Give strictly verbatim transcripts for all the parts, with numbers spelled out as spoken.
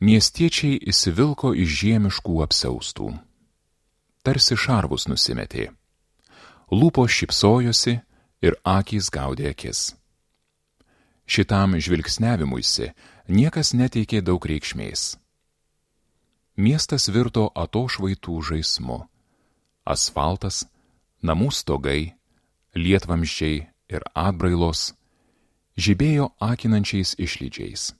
Miestiečiai įsivilko iš žiemiškų apsiaustų. Tarsi šarvus nusimetė. Lūpos šypsojosi ir akys gaudė akis. Šitam žvilgsniavimuisi niekas neteikė daug reikšmės. Miestas virto atošvaitų žaismu. Asfaltas, namų stogai, lietvamzdžiai ir atbrailos žibėjo akinančiais išlydžiais.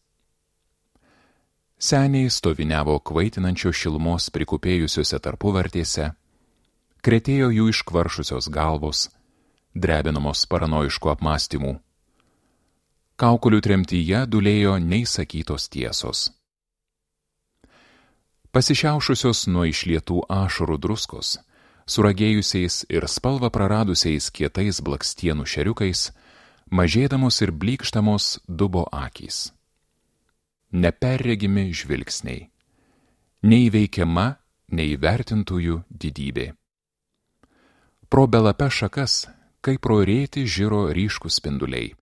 Seniai stoviniavo kvaitinančio šilumos prikupėjusiuose tarpuvartėse, kretėjo jų iškvaršusios galvos, drebinamos paranojiškų apmąstymų. Kaukulių tremtyje dulėjo neįsakytos tiesos. Pasišiaušusios nuo išlietų ašarų druskos, suragėjusiais ir spalvą praradusiais kietais blakstienų šeriukais, mažėdamos ir blykštamos dubo akys. Neperregimi žvilgsniai. Neįveikiama, neįvertintųjų didybė. Pro belape šakas, kaip pro rėtį žiro ryškūs spinduliai.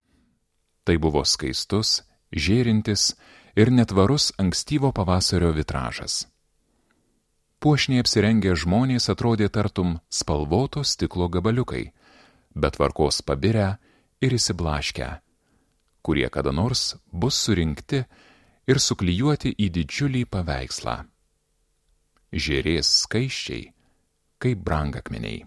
Tai buvo skaistus, žėrintis ir netvarus ankstyvo pavasario vitražas. Puošniai apsirengę žmonės atrodė tartum spalvoto stiklo gabaliukai, bet tvarkos pabirę ir įsiblaškę, kurie kada nors bus surinkti ir suklijuoti į didžiulį paveikslą. Žėrės skaisčiai, kaip brangakmeniai.